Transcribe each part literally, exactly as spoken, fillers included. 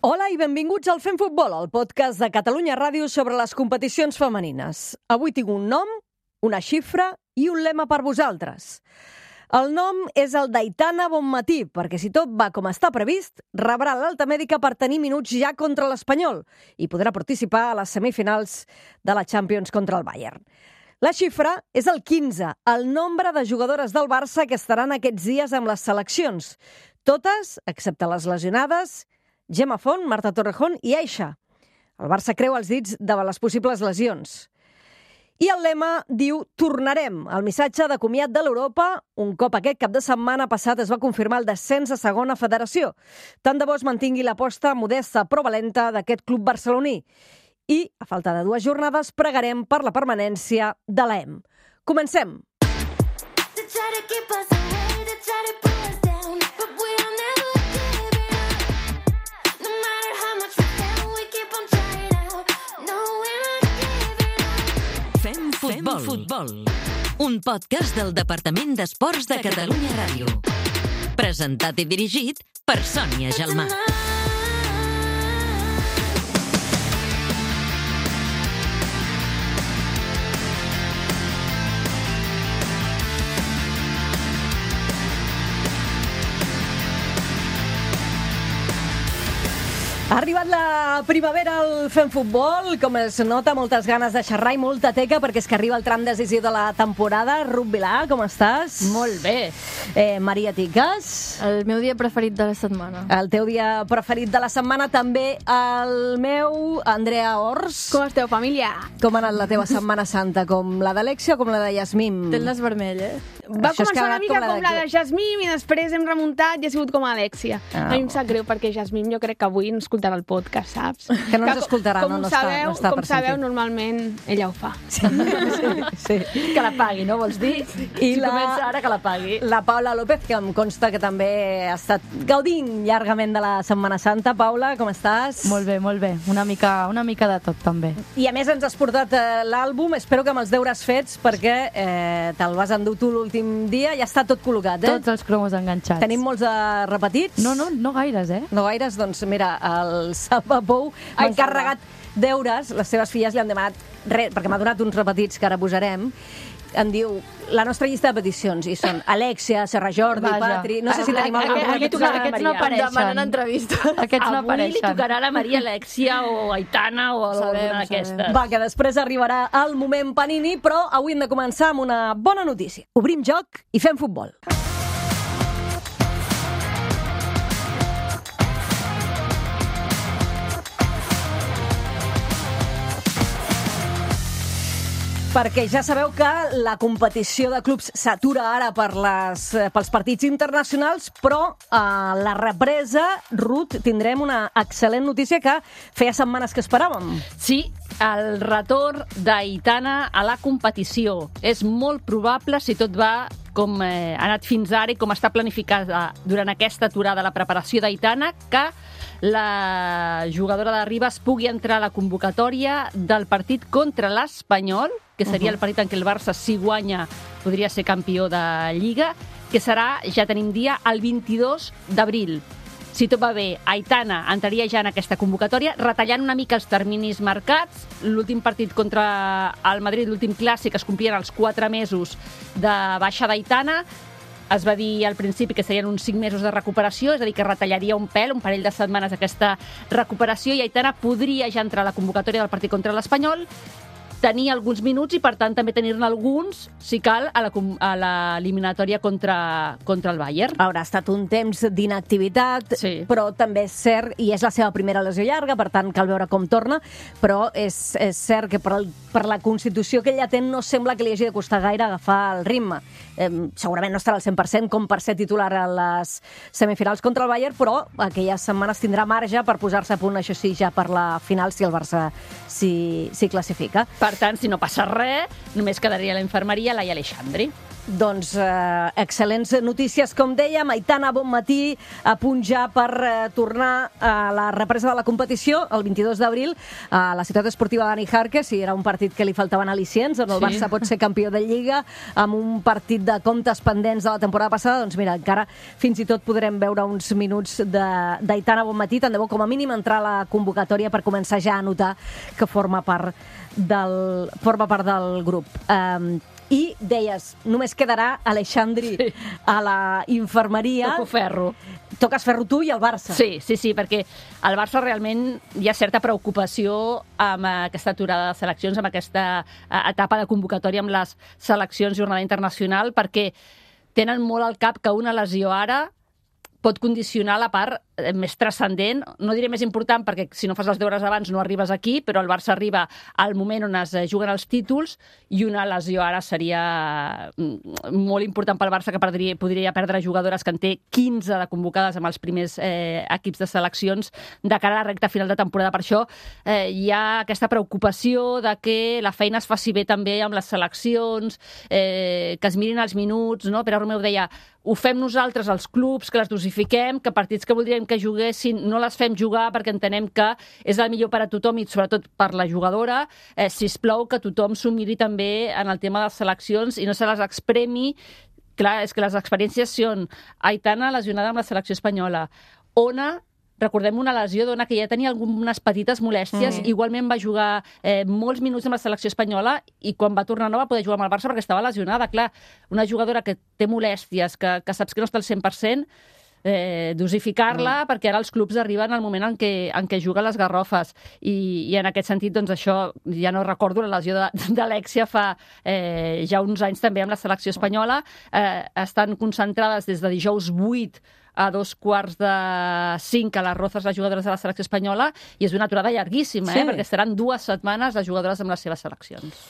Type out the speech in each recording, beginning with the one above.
Hola i benvinguts al Fem Futbol, el podcast de Catalunya Ràdio sobre les competicions femenines. Avui tinc un nom, una xifra i un lema per vosaltres. El nom és el d'Aitana Bonmatí, perquè si tot va com està previst, rebrà l'alta mèdica per tenir minuts ja contra l'Espanyol i podrà participar a les semifinals de la Champions contra el Bayern. La xifra és el quinze, el nombre de jugadores del Barça que estaran aquests dies amb les seleccions. Totes, excepte les lesionades, Gemma Font, Marta Torrejón i Aixa. El Barça creu els dits davant les possibles lesions. I el lema diu «Tornarem», el missatge de comiat de l'Europa, un cop aquest cap de setmana passat es va confirmar el descens a segona federació. Tant de bo es mantingui l'aposta modesta però valenta d'aquest club barceloní. I, a falta de dues jornades, pregarem per la permanència de l'A E M. Comencem! Fem Futbol. Fem Futbol, un podcast del Departament d'Esports de Catalunya Ràdio. Presentat i dirigit per Sònia Gelmà. Ha arribat la primavera al Fem Futbol, com es nota, moltes ganes de xerrar i molta teca, perquè és que arriba el tram decisiu de la temporada. Ruth Vilà, com estàs? Molt bé. Eh, Maria Tiques? El meu dia preferit de la setmana. El teu dia preferit de la setmana, també el meu, Andrea Ors. Com esteu, família? Com ha anat la teva Setmana Santa? Com la d'Alexia o com la de Yasmín? Tens les vermell, eh? Va Això és començar que ha una anat mica com la com la de- de Jasmine i després hem remuntat i ha sigut com Alexia. Ah, a mi em sap greu perquè Jasmine jo crec que avui no escoltarà el podcast, saps? Que no ens co- escoltarà, com no, no sabeu, està- no està Com per sabeu, sentir. normalment ella ho fa. Sí, sí, sí. Que la pagui, no vols dir? I si la- comença ara, que la pagui. La Paula López, que em consta que també ha estat gaudint llargament de la Setmana Santa. Paula, com estàs? Molt bé, molt bé. Una mica, una mica de tot, també. I a més ens has portat eh, l'àlbum, espero que amb els deures fets, perquè eh, te'l vas endur tu l'últim dia, ja està tot col·locat, eh? Tots els cromos enganxats. Tenim molts de repetits? No, no, no gaires, eh? No gaires, doncs mira, el Salva Pou m'ha Ai, encarregat deures, les seves filles li han demanat res, perquè m'ha donat uns repetits que ara posarem. Em diu, la nostra llista de peticions, i són Alexia, Serra Jordi, Vaja. Patri... No sé si tenim algun Aquest- repetit. aquests no- aquests no Em apareixen. demanen entrevista. Aquests no Avui li apareixen. tocarà a la Maria Alexia o Aitana o Sabem, alguna sabem. d'aquestes. Va, que després arribarà el moment Panini, però avui hem de començar amb una bona notícia. Obrim joc i fem futbol. Perquè ja sabeu que la competició de clubs s'atura ara per les, eh, pels partits internacionals, però a la represa, Ruth, tindrem una excel·lent notícia que feia setmanes que esperàvem. Sí, el retorn d'Aitana a la competició. És molt probable, si tot va com eh, ha anat fins ara i com està planificada durant aquesta aturada la preparació d'Aitana, que la jugadora de Ribes pugui entrar a la convocatòria del partit contra l'Espanyol, que seria el partit en què el Barça, si guanya, podria ser campió de Lliga, que serà, ja tenim dia, el vint-i-dos d'abril. Si tot va bé, Aitana entraria ja en aquesta convocatòria, retallant una mica els terminis marcats. L'últim partit contra el Madrid, l'últim clàssic, es complien els quatre mesos de baixa d'Aitana. Es va dir al principi que serien uns cinc mesos de recuperació, és a dir, que retallaria un pèl, un parell de setmanes aquesta recuperació, i Aitana podria ja entrar a la convocatòria del partit contra l'Espanyol, tenir alguns minuts i, per tant, també tenir-ne alguns, si cal, a la com- a l'eliminatòria contra, contra el Bayern. Haurà estat un temps d'inactivitat, Sí. però també és cert, i és la seva primera lesió llarga, per tant cal veure com torna, però és, és cert que per, el, per la constitució que ella té no sembla que li hagi de costar gaire agafar el ritme. Eh, segurament no estarà al cent per cent com per ser titular a les semifinals contra el Bayern, però aquelles setmanes tindrà marge per posar-se a punt, això sí, ja per la final, si el Barça s'hi s'hi classifica. Per Per tant, si no passa res, només quedaria a la infermeria Laia Aleixandri. Doncs eh, excel·lents notícies, com dèiem. Aitana, bon matí, a punt ja per eh, tornar a la represa de la competició el vint-i-dos d'abril a la ciutat esportiva Dani Jarque. Si era un partit que li faltaven al·licients, on el Sí. Barça pot ser campió de Lliga, amb un partit de comptes pendents de la temporada passada, doncs mira, encara fins i tot podrem veure uns minuts d'Aitana, bon matí. Tant de bo, com a mínim, entrar a la convocatòria per començar ja a notar que forma part del, forma part del grup. Um, I deies, només quedarà Aleixandri sí. a la infermeria. Toco ferro. Toques ferro tu i el Barça. Sí, sí, sí, perquè al Barça realment hi ha certa preocupació amb aquesta aturada de seleccions, amb aquesta etapa de convocatòria amb les seleccions jornada internacional, perquè tenen molt al cap que una lesió ara pot condicionar la part més transcendent, no diré més important, perquè si no fas els deures abans no arribes aquí, però el Barça arriba al moment on es juguen els títols i una lesió ara seria molt important pel Barça, que perdria, podria perdre jugadores que en té quinze de convocades amb els primers eh, equips de seleccions de cara a la recta final de temporada. Per això eh, hi ha aquesta preocupació de que la feina es faci bé també amb les seleccions, eh, que es mirin els minuts, no? Pere Romeu deia, ho fem nosaltres, els clubs, que les dosifiquem, que partits que voldríem que juguessin no les fem jugar perquè entenem que és el millor per a tothom i sobretot per la jugadora. Eh, sisplau, que tothom s'ho miri també en el tema de les seleccions i no se les expremi. Clar, és que les experiències són Aitana lesionada amb la selecció espanyola, Ona, recordem una lesió d'Ona que ja tenia algunes petites molèsties, mm. igualment va jugar eh, molts minuts amb la selecció espanyola i quan va tornar no va poder jugar amb el Barça perquè estava lesionada. Clar, una jugadora que té molèsties, que, que saps que no està al cent per cent, eh, dosificar-la, mm. perquè ara els clubs arriben al moment en què, en què juguen les garrofes. I, i en aquest sentit, doncs això, ja no recordo la lesió d'Alexia fa eh, ja uns anys també amb la selecció espanyola. Eh, estan concentrades des de dijous vuit a dos quarts de cinc a les Rozas, les jugadores de la selecció espanyola, i és una aturada llarguíssima, sí. eh? perquè estaran dues setmanes les jugadores amb les seves seleccions.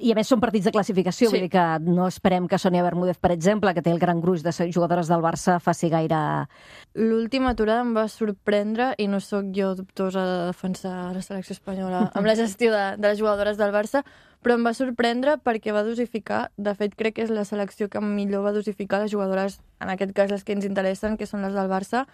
I a més són partits de classificació, sí. vull dir que no esperem que Sònia Bermúdez, per exemple, que té el gran gruix de jugadores del Barça, faci gaire... L'última aturada em va sorprendre, i no sóc jo dubtosa de defensar la selecció espanyola amb la gestió de, de les jugadores del Barça, però em va sorprendre perquè va dosificar, de fet crec que és la selecció que millor va dosificar les jugadores, en aquest cas les que ens interessen, que són les del Barça.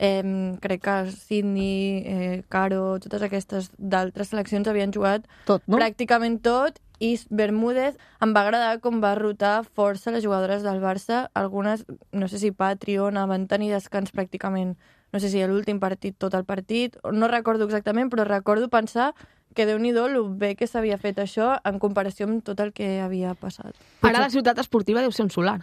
Eh, crec que Sydney, eh, Caro, totes aquestes d'altres seleccions havien jugat tot, no? pràcticament tot, i Bermúdez em va agradar com va rotar força les jugadores del Barça. Algunes, no sé si Patriona, van tenir descans pràcticament, no sé si a l'últim partit, tot el partit, no recordo exactament, però recordo pensar que Déu-n'hi-do el bé que s'havia fet això en comparació amb tot el que havia passat. Ara la ciutat esportiva deu ser un solar.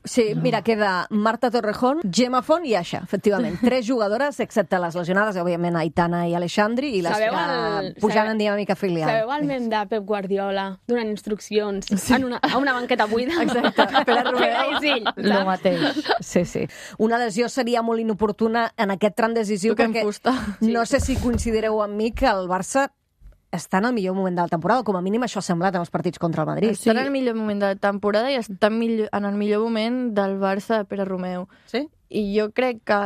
Sí, mira, queda Marta Torrejón, Gemma Font i Aixa, efectivament. Tres jugadores, excepte les lesionades, òbviament Aitana i Aleixandri, i les sabeu que el... pujant sabeu... en dinàmica filial. Sabeu el mem de Pep Guardiola donant instruccions sí. en una, a una banqueta buida? Exacte, Pere Romeu. Sí, Lo mateix. Sí, sí. Una lesió seria molt inoportuna en aquest tram decisiu Toquem perquè fusta. no sé si coincidireu amb mi que el Barça està en el millor moment de la temporada, com a mínim això ha semblat en els partits contra el Madrid. Està en el millor moment de la temporada i està millor, en el millor moment del Barça de Pere Romeu. Sí? I jo crec que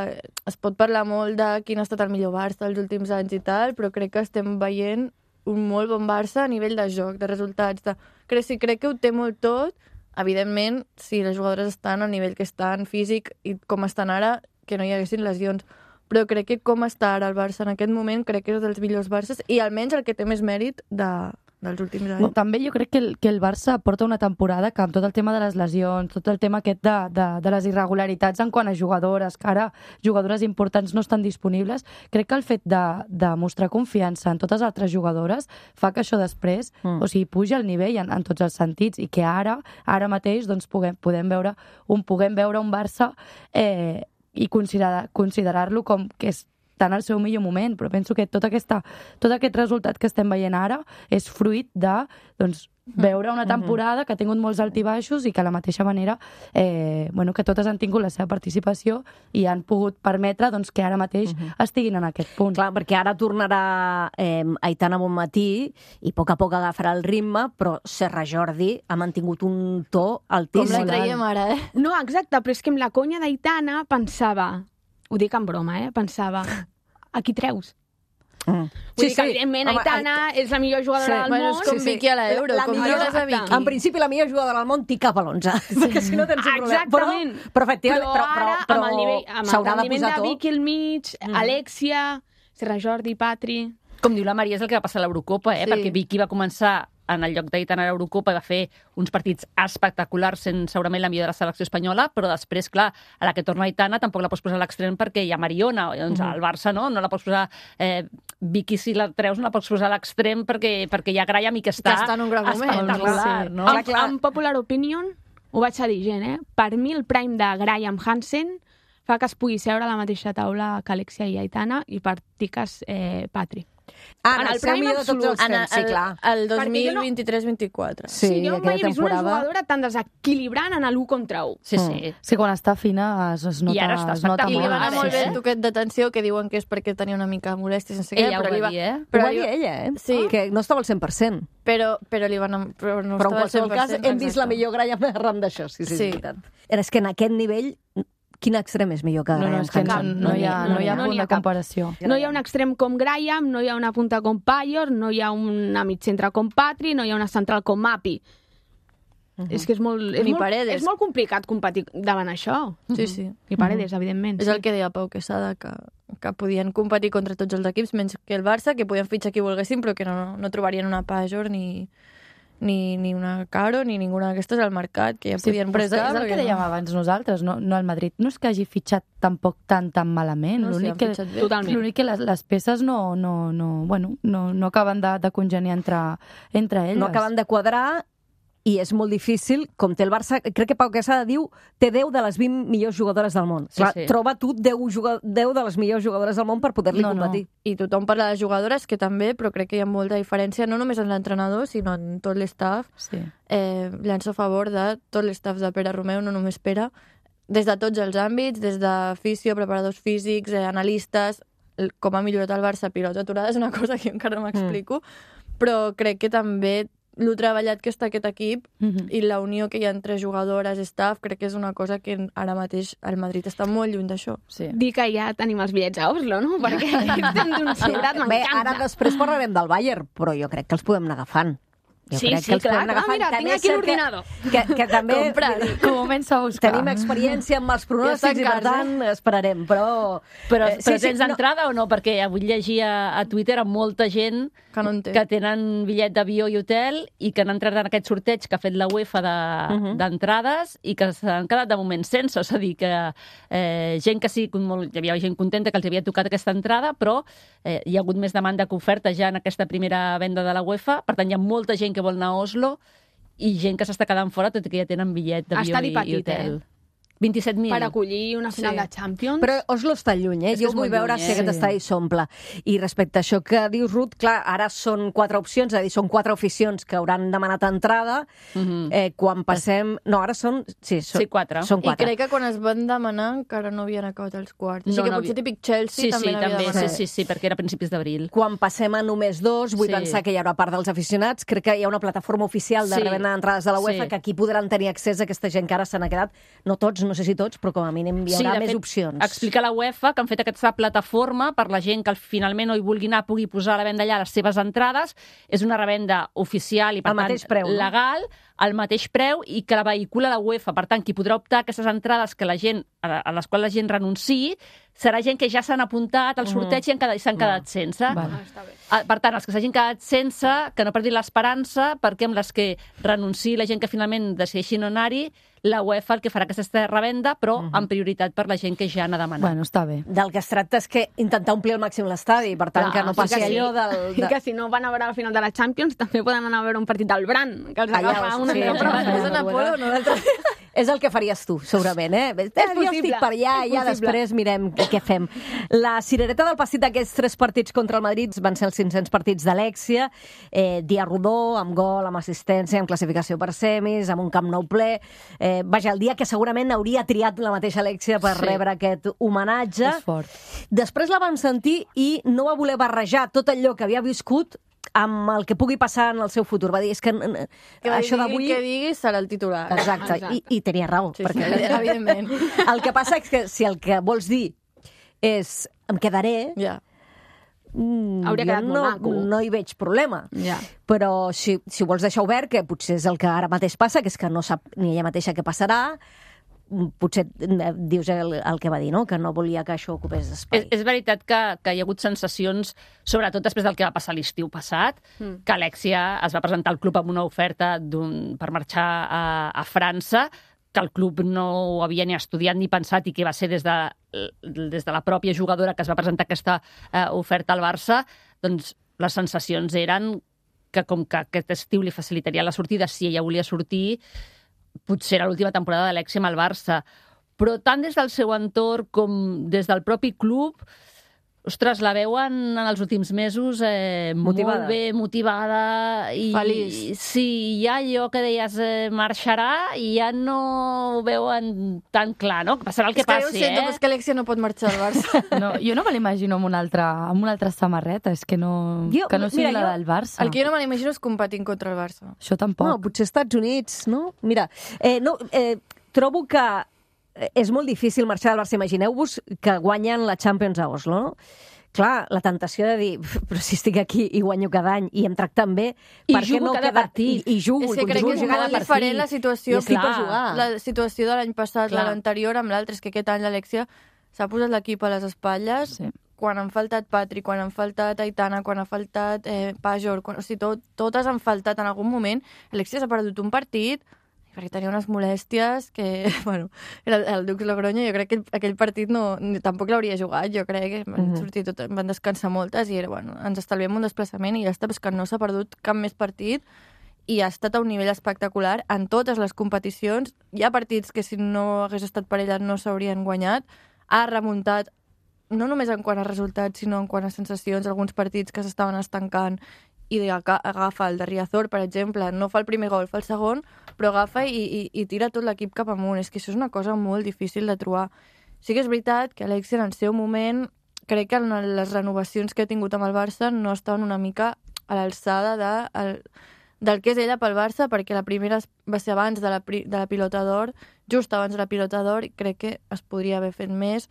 es pot parlar molt de quin ha estat el millor Barça els últims anys i tal, però crec que estem veient un molt bon Barça a nivell de joc, de resultats. De... Crec, sí, crec que ho té molt tot. Evidentment, si les jugadores estan al nivell que estan físic i com estan ara, que no hi haguessin lesions. Però crec que com està ara el Barça en aquest moment, crec que és dels millors Barças i almenys el que té més mèrit de, dels últims anys. També jo crec que el, que el Barça porta una temporada que amb tot el tema de les lesions, tot el tema aquest de, de, de les irregularitats en quant a jugadores, que ara jugadores importants no estan disponibles, crec que el fet de, de mostrar confiança en totes les altres jugadores fa que això després, mm. o sigui, puja el nivell en, en tots els sentits i que ara, ara mateix, doncs, puguem, podem veure un, puguem veure un Barça eh, i considerar, considerar-lo com que és tan al seu millor moment, però penso que tot, aquesta, tot aquest resultat que estem veient ara és fruit de doncs, veure una temporada que ha tingut molts altibaixos i que a la mateixa manera eh, bueno, que totes han tingut la seva participació i han pogut permetre doncs, que ara mateix uh-huh. estiguin en aquest punt. Clar, perquè ara tornarà eh, Aitana Bonmatí i a poc a poc agafarà el ritme, però Serra Jordi ha mantingut un to altíssim. Com la traiem ara, eh? No, exacte, però és que amb la conya d'Aitana pensava, ho dic en broma, eh? Pensava, a qui treus? Mm. Vull dir que, evidentment, Home, Aitana és la millor jugadora sí. del Bueno, món. és com Vicky a l'Euro, La com millor- millores a Vicky. En principi, la millor jugadora del món t'hi cap a l'onze, perquè si no tens un problema. Exactament. Però, però efectivament, Però però, però, ara, però amb el nivell, amb el s'haurà de rendiment posar de tot. Vicky al mig, Mm. Alexia, Serra Jordi, Patri... Com diu la Maria, és el que va passar a l'Eurocopa, eh? Sí. Perquè Vicky va començar en el lloc d'Aitana a l'Eurocopa i va fer uns partits espectaculars, sent segurament la millor de la selecció espanyola, però després, clar, a la que torna Aitana tampoc la pots posar a l'extrem perquè hi ha Mariona, doncs Mhm. al Barça no, no la pots posar... Eh, Vicky, si la treus, no la pots posar a l'extrem perquè, perquè hi ha Graham i que està, Que està en un gran moment. espectacular, Sí. no? Clar, En, clar. en popular opinion, ho vaig a dir gent, eh? Per mi el prime de Graham Hansen fa que es pugui seure a la mateixa taula que Alexia i Aitana i per tiques eh, Patri. Ah, En en el el seu prime millor de tots absolut. els En temps, sí, clar. el, el Perquè dos mil jo no- vint-i-tres vint-i-quatre. Sí, sí, jo mai aquella he vist una temporada. jugadora tan desequilibrant en l'u contra u. Sí, sí. És que quan està fina es, es nota, I ara està es nota I li espectacular. va molt. anar Sí, molt bé sí. el toquet d'atenció, que diuen que és perquè tenia una mica molèstia, sense què, Ella ho però va li va... dir, eh? Ho Però va li dir va- ella, eh? Sí. Que no estava al cent per cent. Però, però li van... Però, no Però en estava al qualsevol cent per cas cent, hem vist la exacte. millor Graham arran d'això, sí, sí, Sí. és veritat. És que en aquest nivell, quin extrem és millor que No, no, Graham és que no, Hansen? no, hi ha, no hi ha no punt n'hi ha de cap. comparació. No hi ha un extrem com Graham, no hi ha una punta com Payor, no hi ha una mitcentre com Patri, no hi ha una central com Mapi. Uh -huh. És que és molt, és, Ni molt, Paredes. és molt complicat competir davant això. Sí, sí. I Paredes, evidentment. És sí. el que deia Pau Quesada, que, que podien competir contra tots els equips, menys que el Barça, que podien fitxar qui volguessin, però que no, no trobarien una Pajor ni, ni, ni una Caro, ni ninguna d'aquestes al mercat, que ja Sí, podien però és, buscar. és el que perquè dèiem no. abans nosaltres, no, no el Madrid. No és que hagi fitxat tampoc tan tan malament. No, sí, L'únic han que, fitxat bé. Totalment. l'únic que les, les peces no, no, no, bueno, no, no acaben de, de congeniar entre, entre elles. No acaben de quadrar i és molt difícil, com té el Barça, crec que Pau Quesada diu, té deu de les vint millors jugadores del món. Sí, Clar, sí. troba tu deu, deu de les millors jugadores del món per poder-li No, no. competir. I tothom parla de jugadores, que també, però crec que hi ha molta diferència, no només en l'entrenador, sinó en tot l'estaf. Sí. Eh, llanço a favor de tot l'estaf de Pere Romeu, no només Pere, des de tots els àmbits, des de fisio, preparadors físics, eh, analistes, el- com ha millorat el Barça, pilots aturades, és una cosa que jo encara no m'explico, mm. però crec que també lo treballat que està aquest equip Mhm. i la unió que hi ha entre jugadores i staff, crec que és una cosa que ara mateix el Madrid està molt lluny d'això. Sí. Dir que ja tenim els bitllets a Oslo, no? Perquè estem d'un sobrat, Bé, m'encanta. ara després parlarem del Bayern, però jo crec que els podem anar agafant. Jo Sí, crec sí, que els clar, podem anar clar, agafant. mira, També tinc és aquí cert l'ordinador. Que, que, que també Compra. Comença a buscar. tenim experiència amb els Ja pronòstics està en i, per casa. tant, esperarem. Però, Però, eh, però tens entrada o no? Perquè avui llegia a Twitter amb molta gent Que no en té. que tenen bitllet d'avió i hotel i que han entrat en aquest sorteig que ha fet la UEFA de- d'entrades i que s'han quedat de moment sense. És a dir, que eh, gent que sí, molt, hi havia gent contenta que els havia tocat aquesta entrada, però eh, hi ha hagut més demanda que oferta ja en aquesta primera venda de la UEFA. Per tant, hi ha molta gent que vol anar a Oslo i gent que s'està quedant fora, tot i que ja tenen bitllet d'avió Estadi i, i petit, hotel. eh? vint-i-set mil. Per acollir una final Sí. de Champions. Però Oslo està lluny, eh? És que Jo és vull molt veure lluny, si eh? aquest Sí. estadi s'omple. I respecte a això que dius, Ruth, clar, ara són quatre opcions, és a dir, són quatre aficions que hauran demanat entrada. Mhm. eh, quan passem... No, ara són... Sí, són, Sí, quatre. Són I quatre. crec que quan es van demanar encara no havien acabat els quarts. Així No, que no potser havia- típic Chelsea Sí, també sí, n'havia també, sí, demanat. sí, sí, perquè era a principis d'abril. Quan passem a només dos, vull Sí. pensar que hi haurà part dels aficionats. Crec que hi ha una plataforma oficial de Sí. revenda d'entrades de la UEFA Sí. que aquí podran tenir accés a aquesta gent que ara se n'ha quedat. No tots, no sé si tots, però com a mínim hi haurà de més fet, opcions. Explica la UEFA que han fet aquesta plataforma per la gent que finalment no hi vulgui anar pugui posar a la venda allà les seves entrades. És una revenda oficial i, per Al tant, mateix preu, no? legal, al mateix preu i que la vehicula la UEFA. Per tant, qui podrà optar a aquestes entrades que la gent, a a les quals la gent renunciï serà gent que ja s'han apuntat al sorteig i han quedat- s'han quedat sense. Val. Ah, està bé. Ah, Per tant, els que s'hagin quedat sense, que no perdin l'esperança, perquè amb les que renunciï la gent que finalment decideixi no anar-hi, la UEFA el que farà que aquesta revenda, però amb prioritat per la gent que ja n'ha demanat. Bueno, està bé. Del que es tracta és que intentar omplir al màxim l'estadi, per tant, Clar, que no sí passi que sí. allò del... I que si no van a veure la final de la Champions, també poden anar a veure un partit del Bran, que els Allà, agafa una sí, mica allà. prop. És en Apolo, no l'altre. És el que faries tu, segurament, eh? És jo possible, estic per allà és i ja possible. després mirem què, què fem. La cirereta del passit d'aquests tres partits contra el Madrid van ser els cinc-cents partits d'Alexia, eh, dia rodó, amb gol, amb assistència, amb classificació per semis, amb un Camp Nou ple. Eh, vaja, el dia que segurament hauria triat la mateixa Alexia per Sí. rebre aquest homenatge. És fort. Després la vam sentir i no va voler barrejar tot allò que havia viscut amb el que pugui passar en el seu futur. Va dir, és que, eh, Que això digui d'avui... que diguis serà el titular. Exacte, Exacte. I, i tenia raó. Sí, perquè sí, evidentment. el que passa és que si el que vols dir és em quedaré, Ja. mm, Hauria jo quedat molt no, maco. no hi veig problema. Ja. Però si, si ho vols deixar obert, que potser és el que ara mateix passa, que és que no sap ni ella mateixa què passarà, potser dius el, el que va dir, no? Que no volia que això ocupés espai. És, és veritat que, que hi ha hagut sensacions, sobretot després del que va passar l'estiu passat, mm. que Alexia es va presentar al club amb una oferta per marxar a, a França, que el club no ho havia ni estudiat ni pensat i que va ser des de, des de la pròpia jugadora que es va presentar aquesta eh, oferta al Barça, doncs les sensacions eren que com que aquest estiu li facilitaria la sortida si ella volia sortir, potser era l'última temporada d'Alexia amb el Barça. Però tant des del seu entorn com des del propi club, ostres, la veuen en els últims mesos eh, Motivada. molt bé, motivada. I, Feliç. Sí, ja allò que deies eh, marxarà i ja no ho veuen tan clar, no? Que passarà el que és que passi, jo ho sento, eh? però és que Alexia no pot marxar al Barça. No, jo no me l'imagino amb una altra, amb una altra samarreta, és que no, Jo- que no sigui mira, la jo- del Barça. El que jo no me l'imagino és competint contra el Barça. Això tampoc. No, potser Estats Units, no? Mira, eh, no, eh, trobo que és molt difícil marxar del Barça. Imagineu-vos que guanyen la Champions a Oslo, no? Clar, la tentació de dir, però si estic aquí i guanyo cada any i em tracten bé, I per què jugo no cada quedar... partit. I, i jugo, És que i crec que continuo és jugant molt cada diferent partit. la situació, I estic per clar, jugar. la situació de l'any passat, Clar. de l'anterior, amb l'altre. És que aquest any l'Alexia s'ha posat l'equip a les espatlles, Sí. quan han faltat Patri, quan han faltat Aitana, quan ha faltat eh, Pajor, quan, o sigui, tot, totes han faltat en algun moment. Alexia s'ha perdut un partit perquè tenia unes molèsties que, bueno, era el, el Dux Logroño, jo crec que aquell partit no, ni, tampoc l'hauria jugat, jo crec que van, Mhm. sortir tot, van descansar moltes i era, bueno, ens estalviem un desplaçament i ja està, però és que no s'ha perdut cap més partit i ha estat a un nivell espectacular en totes les competicions. Hi ha partits que si no hagués estat per ella no s'haurien guanyat. Ha remuntat no només en quant a resultats, sinó en quant a sensacions, alguns partits que s'estaven estancant i agafa el de Riazor, per exemple, no fa el primer gol, fa el segon, però agafa i, i, i tira tot l'equip cap amunt. És que això és una cosa molt difícil de trobar. Sí que és veritat que Alexia en el seu moment, crec que en les renovacions que ha tingut amb el Barça no estaven una mica a l'alçada de, el, del que és ella pel Barça, perquè la primera va ser abans de la, de la pilota d'or, just abans de la pilota d'or, i crec que es podria haver fet més.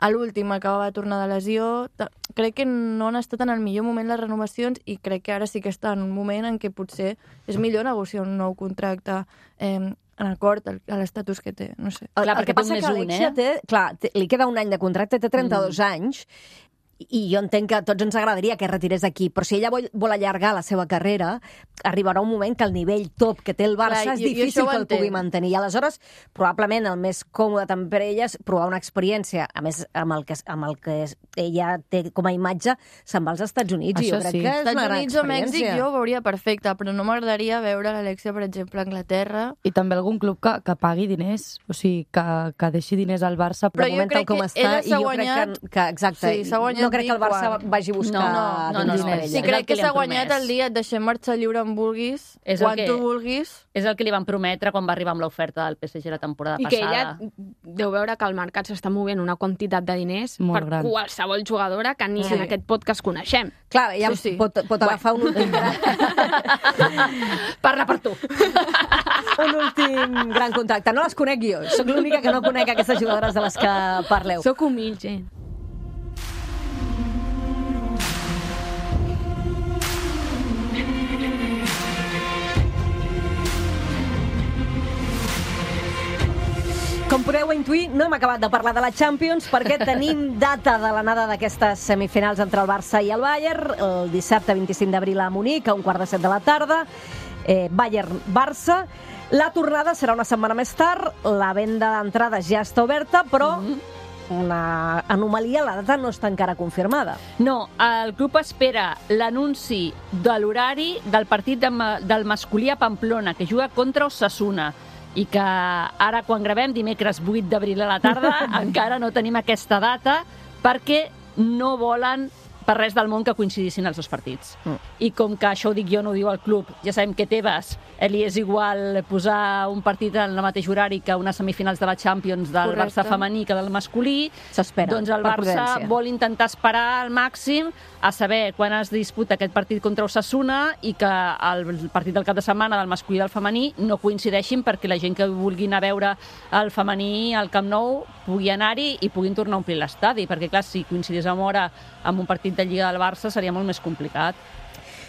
A l'últim acabava de tornar de lesió. Crec que no han estat en el millor moment les renovacions i crec que ara sí que està en un moment en què potser és millor negociar un nou contracte eh, en acord a l'estatus que té. No sé. El, Clar, el perquè que passa té que un més un, Alexia eh? té, clar, té, li queda un any de contracte, té trenta-dos mm. anys, i jo entenc que a tots ens agradaria que es retirés d'aquí, però si ella vol, vol allargar la seva carrera, arribarà un moment que el nivell top que té el Barça Clar, és i- i difícil això ho que el pugui entenc. mantenir. I aleshores, probablement el més còmode també per ella és provar una experiència, a més, amb el que, amb el que ella té com a imatge, se'n va als Estats Units, i Això jo crec sí. que és una Estats gran Units o Mèxic experiència. jo ho veuria perfecte, però no m'agradaria veure l'Alexia, per exemple, a Anglaterra. I també algun club que, que pagui diners, o sigui, que, que deixi diners al Barça. Però de jo moment crec tal com que està, ella i s'ha jo guanyat- crec que, que exacte, Sí, s'ha guanyat no crec que el dir Barça quan. vagi a buscar No, no, diners no. per ella. Sí, És el crec que que li s'ha han guanyat promès. el dia, et deixem marxar lliure on vulguis, És el quan que- tu vulguis. És el que li van prometre quan va arribar amb l'oferta del P S G la temporada I que passada. ella deu veure que el mercat s'està movent una quantitat de diners Molt per gran. qualsevol jugadora que ni Sí. en aquest podcast coneixem. Clar, ja Sí, sí. pot, pot agafar un últim, gran, Parla per tu. un últim gran contacte. No les conec jo, sóc l'única que no conec aquestes jugadores de les que parleu. Sóc humil, gent. Com podeu intuir, no hem acabat de parlar de la Champions perquè tenim data de l'anada d'aquestes semifinals entre el Barça i el Bayern, el dissabte vint-i-cinc d'abril a Munic, a un quart de set de la tarda, eh, Bayern-Barça. La tornada serà una setmana més tard, la venda d'entrades ja està oberta, però una anomalia, la data no està encara confirmada. No, el club espera l'anunci de l'horari del partit de, ma- del masculí a Pamplona, que juga contra Osasuna, i que ara, quan gravem, dimecres vuit d'abril a la tarda, encara no tenim aquesta data, perquè no volen per res del món que coincidissin els dos partits. Mm. I com que això ho dic jo, no ho diu el club, ja sabem que Tebas eh, li és igual posar un partit en el mateix horari que unes semifinals de la Champions del Correcte. Barça femení que del masculí, S'espera, doncs el per Barça prudència. vol intentar esperar al màxim a saber quan es disputa aquest partit contra Osasuna i que el partit del cap de setmana del masculí i del femení no coincideixin perquè la gent que vulgui anar a veure el femení al Camp Nou pugui anar-hi i puguin tornar a omplir l'estadi, perquè clar, si coincidís amb hora amb un partit partit de Lliga del Barça seria molt més complicat.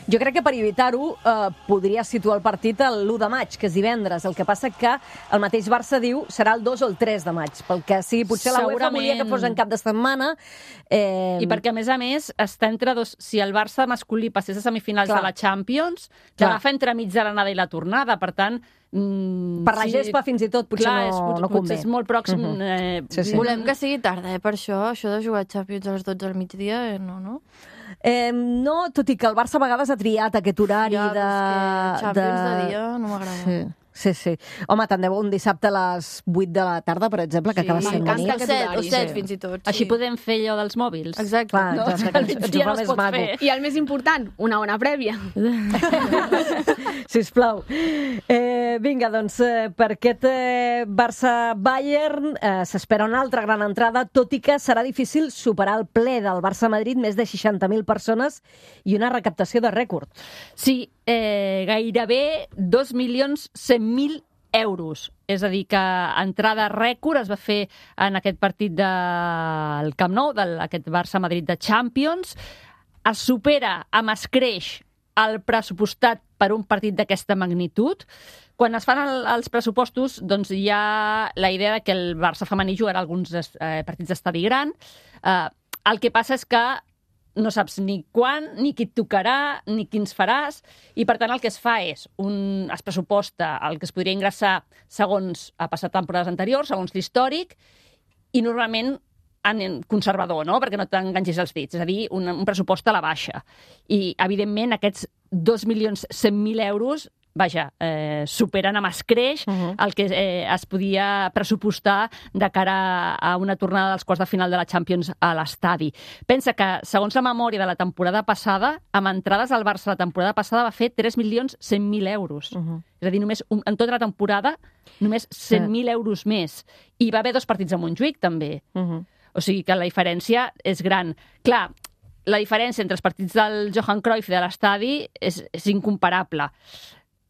Jo crec que per evitar-ho eh, podria situar el partit l'u de maig, que és divendres. El que passa que el mateix Barça diu serà el dos o el tres de maig, pel que sigui, potser la UEFA volia que fos en cap de setmana. Eh... I perquè, a més a més, està entre dos... Si el Barça masculí passés a semifinals Clar. de la Champions, t'agafa entre mig de l'anada i la tornada, per tant... Mm, per la sí, gespa, fins i tot, potser clar, no, és, no convé. Potser és molt pròxim. Uh-huh. eh, sí, sí. Volem que sigui tarda, eh, per això. Això de jugar a Champions a les dotze del migdia, eh, no, no? Eh, no, tot i que el Barça a vegades ha triat aquest horari ja, de... Champions de... de dia no m'agrada. Sí. Sí, sí. Home, tant de bo un dissabte a les vuit de la tarda, per exemple, que sí, acaba sent bonic. bonic. O set, o set fins i tot. Sí. Així podem fer allò dels mòbils. Exacte. Clar, no? exacte, que ens ja ho fa no es més pot maco. fer. I el més important, una hora prèvia. Sisplau. Eh, vinga, doncs, eh, per aquest eh, Barça-Bayern eh, s'espera una altra gran entrada, tot i que serà difícil superar el ple del Barça-Madrid, més de seixanta mil persones i una recaptació de rècord. Sí, eh, gairebé dos milions cent mil euros. És a dir, que entrada rècord es va fer en aquest partit del Camp Nou, d'aquest Barça-Madrid de Champions. Es supera amb escreix el pressupostat per un partit d'aquesta magnitud. Quan es fan el, els pressupostos, doncs hi ha la idea de que el Barça femení jugarà alguns eh, partits d'estadi gran. Eh, el que passa és que no saps ni quan, ni qui et tocarà, ni quins faràs, i per tant el que es fa és, un, es pressuposta el que es podria ingressar segons ha passat temporades anteriors, segons l'històric, i normalment en conservador, no? Perquè no t'enganxis els dits, és a dir, un, un pressupost a la baixa. I, evidentment, aquests dos milions cent mil euros vaja, eh, superen amb escreix uh-huh. el que eh, es podia pressupostar de cara a una tornada dels quarts de final de la Champions a l'estadi. Pensa que, segons la memòria de la temporada passada, amb entrades al Barça la temporada passada va fer tres milions cent mil euros. Uh-huh. És a dir, només un, en tota la temporada, només cent mil euros més. I va haver dos partits a Montjuïc, també. Uh-huh. O sigui que la diferència és gran. Clar, la diferència entre els partits del Johan Cruyff i de l'estadi és, és incomparable.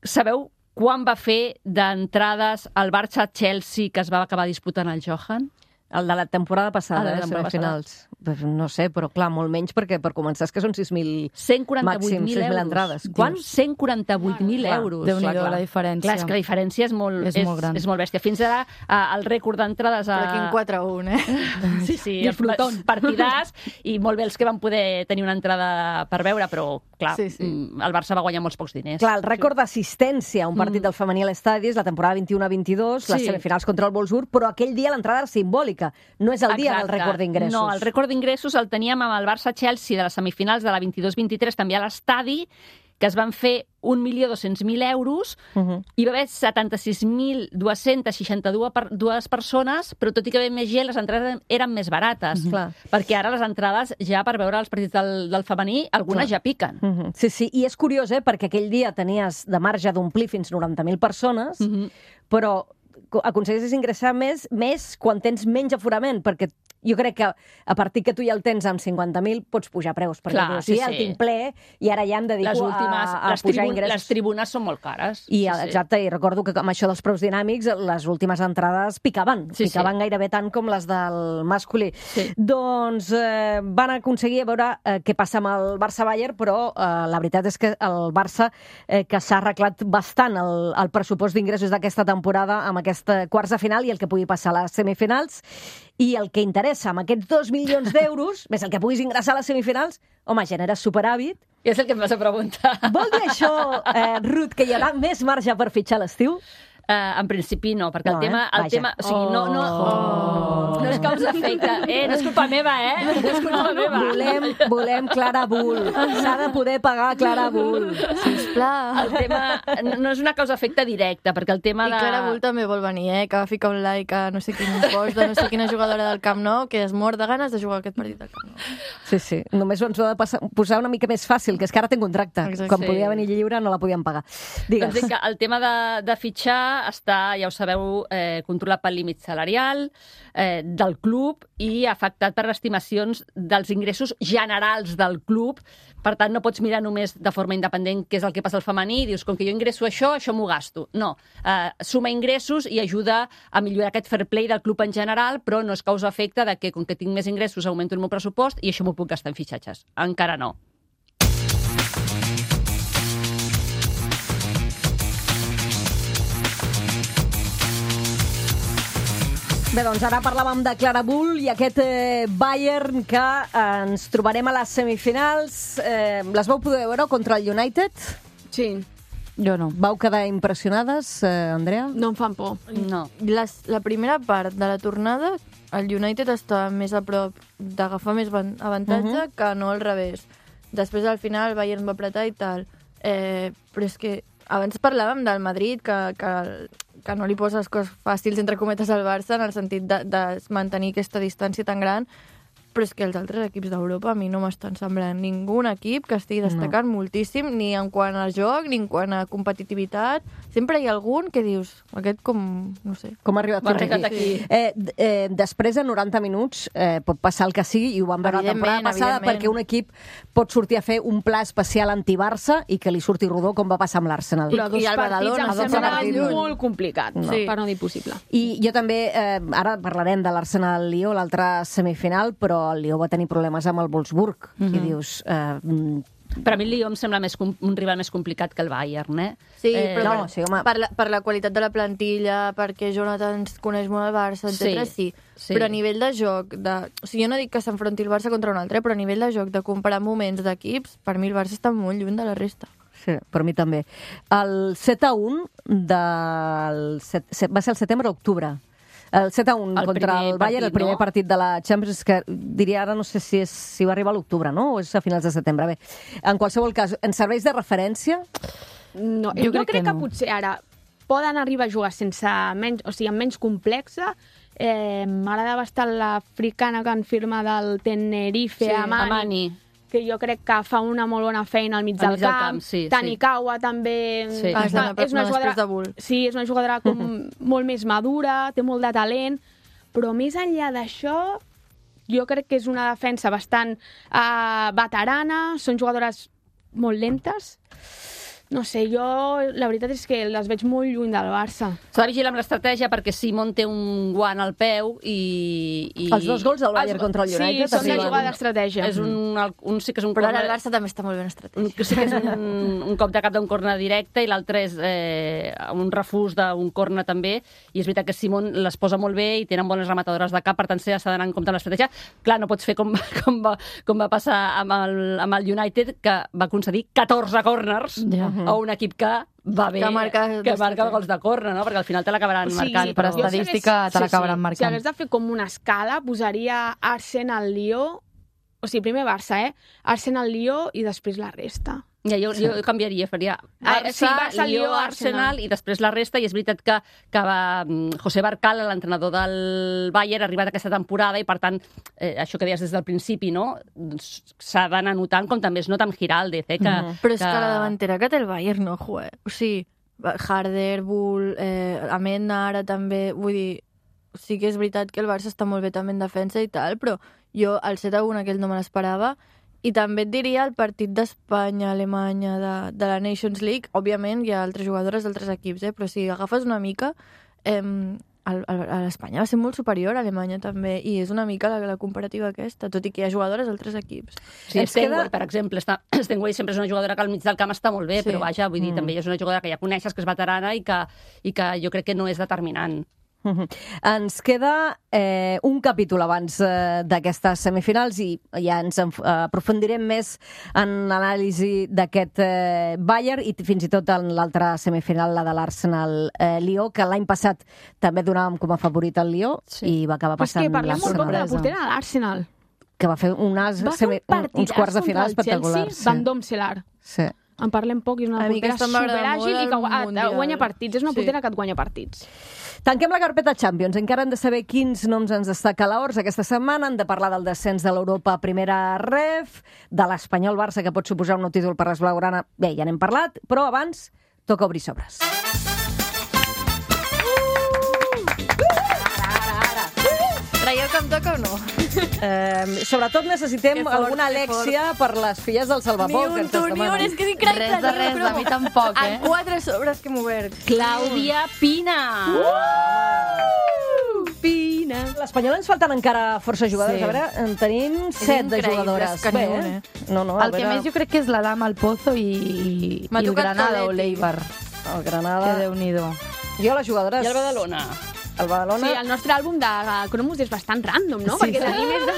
Sabeu quan va fer d'entrades al Barça-Chelsea que es va acabar disputant el Johan? El de la temporada passada, ah, eh, semifinals. No sé, però clar, molt menys, perquè per començar és que són sis mil cent quaranta-vuit mil euros. Entrades. Quan? cent quaranta-vuit mil euros. Déu-n'hi-do, la diferència. Clar, és que la diferència és molt, és, és, molt, gran. És molt bèstia. Fins ara, el rècord d'entrades... A... Per aquí en quatre a un, eh? Sí, sí, els partidars, i molt bé els que van poder tenir una entrada per veure, però, clar, sí, sí. el Barça va guanyar molts pocs diners. Clar, el rècord d'assistència a un partit mm. del femení a l'estadi és la temporada vint-i-u a vint-i-dos, sí. les semifinals contra el Wolfsburg, però aquell dia l'entrada era simbòlica. No és el dia Exacte. del rècord d'ingressos. No, el rècord d'ingressos el teníem amb el Barça-Chelsea de les semifinals de la vint-i-dos vint-i-tres, també a l'estadi, que es van fer un milió dos-cents mil euros, uh-huh. i va haver setanta-sis mil dos-cents seixanta-dues persones, però tot i que ve més gent, les entrades eren més barates. Uh-huh. Perquè ara les entrades, ja per veure els partits del, del femení, algunes Clar. ja piquen. Uh-huh. Sí, sí, i és curiós, eh, perquè aquell dia tenies de marge d'omplir fins noranta mil persones, uh-huh. però aconsegueixes ingressar més, més quan tens menys aforament, perquè jo crec que a partir que tu ja el tens amb cinquanta mil pots pujar preus, perquè Clar, tu, sí, sí, el sí. tinc ple i ara ja em dedico les últimes, a, a les pujar tribun, ingressos. Les tribunes són molt cares. I, sí, exacte, sí. i recordo que amb això dels preus dinàmics les últimes entrades picaven, sí, picaven sí. gairebé tant com les del masculí. Sí. Doncs eh, van aconseguir veure eh, què passa amb el Barça-Bayern, però eh, la veritat és que el Barça eh, que s'ha arreglat bastant el, el pressupost d'ingressos d'aquesta temporada amb aquesta quarts de final i el que pugui passar a les semifinals. I el que interessa, amb aquests dos milions d'euros, més el que puguis ingressar a les semifinals, home, generes superàvit. I és el que em vas a preguntar. Vol dir això, eh, Ruth, que hi haurà més marge per fitxar l'estiu? Uh, en principi no, perquè no, el tema... Eh? El tema o sigui, no, no, oh. no és causa efecte. Eh, no és culpa meva, eh? No és culpa meva. Volem, volem Clara Bull. S'ha de poder pagar Clara Bull. Sisplau. El tema no és una causa efecte directa, perquè el tema I de... I Clara Bull també vol venir, eh? Que va ficar un like a no sé quin post de no sé quina jugadora del Camp Nou que es mor de ganes de jugar aquest partit del Camp Nou. Sí, sí. Només ens ho ha de passar, posar una mica més fàcil, que és que ara té un contracte. Exacte. Quan sí. podia venir lliure no la podien pagar. Digues. Doncs que el tema de, de fitxar està, ja ho sabeu, eh, controlat pel límit salarial eh, del club i afectat per estimacions dels ingressos generals del club. Per tant, no pots mirar només de forma independent què és el que passa al femení i dius, com que jo ingresso això, això m'ho gasto. No, eh, suma ingressos i ajuda a millorar aquest fair play del club en general, però no és causa-efecte de que, com que tinc més ingressos, augmento el meu pressupost i això m'ho puc gastar en fitxatges. Encara no. Bé, doncs ara parlàvem de Clara Bull i aquest eh, Bayern que eh, ens trobarem a les semifinals. Eh, les vau poder veure contra el United? Sí. Jo no. Vau quedar impressionades, eh, Andrea? No em fan por. No. Les, la primera part de la tornada, el United està més a prop d'agafar més avantatge uh -huh. que no al revés. Després, al final, el Bayern va apretar i tal. Eh, però és que abans parlàvem del Madrid, que, que, que no li posa les coses fàcils, entre cometes, al Barça, en el sentit de, de mantenir aquesta distància tan gran, però és que els altres equips d'Europa a mi no m'estan semblant ningú equip que estigui destacant no. moltíssim, ni en quant a joc, ni en quant a competitivitat. Sempre hi ha algun que dius, aquest com, no sé... Com ha arribat Va fins aquí. aquí. Eh, eh, després de noranta minuts eh, pot passar el que sigui, i ho vam veure la temporada passada, perquè un equip pot sortir a fer un pla especial anti-Barça i que li surti rodó, com va passar amb l'Arsenal. Però dos I el partits Badalona, em dos sembla partits. molt complicat, no. Sí. per no dir possible. I jo també, eh, ara parlarem de l'Arsenal-Lió, l'altra semifinal, però el Lió va tenir problemes amb el Wolfsburg. Mm-hmm. I dius... Eh, Per a mi el Lió em sembla més com, un rival més complicat que el Bayern, eh? Sí, eh, però no, per, sí, home. per, la, per la qualitat de la plantilla, perquè Jonathan ens coneix molt el Barça, etcètera. Sí, sí. sí. Però a nivell de joc, de... o sigui, jo no dic que s'enfronti el Barça contra un altre, però a nivell de joc, de comparar moments d'equips, per mi el Barça està molt lluny de la resta. Sí, per mi també. El set a un del... set, set, va ser el setembre o octubre. El set a un El contra primer el Bayern, partit, el primer no? partit de la Champions, que diria ara, no sé si, és, si va arribar a l'octubre, no? O és a finals de setembre. Bé, en qualsevol cas, ens serveix de referència? No, Jo jo, crec crec que, que que no. potser ara poden arribar a jugar sense menys, o sigui, amb menys complexa. Eh, M'agrada bastant l'africana que han firmat del Tenerife, Sí, Amani, Amani. que jo crec que fa una molt bona feina al mig Al del mig del camp. camp, sí, Tanikawa també... Sí. Ah, Està, és una després de Bull. Sí, és una jugadora com molt més madura, té molt de talent, però més enllà d'això, jo crec que és una defensa bastant uh, veterana, són jugadores molt lentes. No sé, jo la veritat és que les veig molt lluny del Barça. S'ha de vigilar amb l'estratègia perquè Simon té un guant al peu i... i... Els dos gols del Bayern Els- contra el United. Sí, són de arriben. jugar d'estratègia. És un, un, sí que és un Però ara corner- el Barça també està molt ben un, estratègic. sí que és un, un cop de cap d'un corner directe i l'altre és eh, un refús d'un corner també, i és veritat que Simon les posa molt bé i tenen bones rematadores de cap, per tant s'ha d'anar en compte amb l'estratègia. Clar, no pots fer com, com, va, com va passar amb el, amb el United, que va concedir catorze corners Ja. a un equip que va bé, Que marca que marca d'estratègia. gols de córner, no? Perquè al final te l'acabaran O sigui, marcant. per però- estadística te l'acabaran Si marcant. hagués de fer com una escala, posaria Arsenal-Lió, o sigui, primer Barça, eh? Arsenal-Lió i després la resta. Ja, jo, jo canviaria, faria Ah, Barça, sí, Barça, Lió, Lió, Arsenal, Arsenal. i després la resta, i és veritat que, que va, mm, José Barcal, l'entrenador del Bayern, ha arribat aquesta temporada i, per tant, eh, això que deies des del principi, no? S'ha d'anar notant, com també es nota amb Giraldez, eh? Que, Mhm. Però és que la davantera que té el Bayern no juega. O sigui, Harder, Bull, eh, Amenda ara també, vull dir, sí que és veritat que el Barça està molt bé també en defensa i tal, però jo el set a un aquell no me l'esperava. I també et diria el partit d'Espanya-Alemanya de, de la Nations League. Òbviament hi ha altres jugadores d'altres equips, eh? Però si agafes una mica, eh, el, el, l'Espanya va ser molt superior a Alemanya també, i és una mica la, la comparativa aquesta, tot i que hi ha jugadores d'altres equips. Sí, Ens Stenway, queda- per exemple, està, Stenway sempre és una jugadora que al mig del camp està molt bé, Sí. però vaja, vull dir, Mm. també és una jugadora que ja coneixes, que és veterana i que, i que jo crec que no és determinant. Mhm. Ens queda eh, un capítol abans eh, d'aquestes semifinals i ja ens enf- aprofundirem més en l'anàlisi d'aquest eh, Bayern i fins i tot en l'altra semifinal, la de l'Arsenal-Lió, que l'any passat també donàvem com a favorit al Lió Sí. i va acabar Però és passant que parlem molt poc de la sorpresa. portera de l'Arsenal. que va fer unes, Va fer semi, un partidàs uns quarts de final contra el espectaculars. Chelsea, Van Domselar. Sí. En parlem poc i és una A mi portera aquesta m'agrada superàgil molt i que al gua- Mundial. guanya partits. És una Sí. portera que et guanya partits. Tanquem la carpeta Champions. Encara hem de saber quins noms ens destaca l'Ors aquesta setmana. Hem de parlar del descens de l'Europa a primera ref, de l'Espanyol Barça, que pot suposar un nou títol per les blaugrana. Bé, ja n'hem parlat, però abans toca obrir sobres. toca, em toca o no? Eh, sobretot necessitem Que fort, alguna que Alèxia per les filles del Ni Salvapou. que un ens tu, ni un, demanen. és que és increïble. Res de res, a mi tampoc, eh? En quatre sobres que hem obert. Clàudia Pina. Pina. L'Espanyol ens falten encara força jugadors. Sí. A veure, en tenim set de increïble, jugadores. és que Bé, ni un, eh? eh? No, no, a El que veure, més jo crec que és la dama, el Pozo i, i, M'ha i el tocat Granada o Toletti. l'Eibar. el Que Granada... Déu-n'hi-do. Jo les jugadores... I el Badalona. El Badalona... Sí, el nostre àlbum de Cromos és bastant random, no? Sí, Perquè sí. tenim més de,